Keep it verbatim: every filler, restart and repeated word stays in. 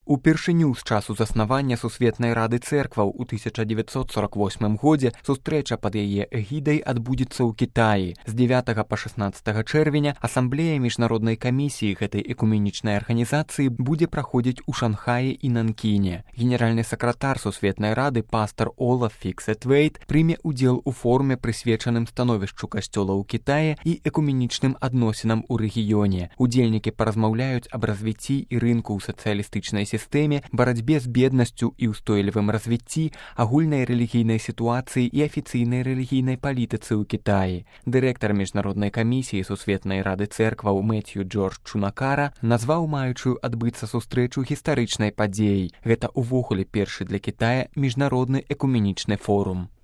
Упершыню з часу заснавання Сусветнай рады цэркваў у тысяча дзевяцьсот сорок восьмым годзе сустрэча пад яе эгідай адбудзецца ў Кітаі. З дзевятага па шаснаццатага чэрвеня асамблея міжнароднай камісіі гэтай экуменічнай арганізацыі будзе праходзіць у Шанхаі і Нанкіне. Генеральны сакратар Сусветнай рады пастар Олаф Фіксет-Вейт прыме ўдзел у форуме, прысвечаным становішчу касцёла ў Кітаі і экуменічным адносінам у рэгіёне. Удзельнікі паразмаўляюць аб развіцці і рынку ў сацыялістычнай сістэме, барацьбе з беднасцю і ўстойлівым развіцці, агульнай рэлігійнай сітуацыі і афіцыйнай рэлігійнай палітыцы ў Кітаі. Дырэктар міжнароднай камісіі Сусветнай рады цэркваў Мэцью Джордж Чунакара назваў маючую адбыцца сустрэчу гістарычнай падзеяй. Гэта ўвогуле першы для Кітая міжнародны экуменічны форум.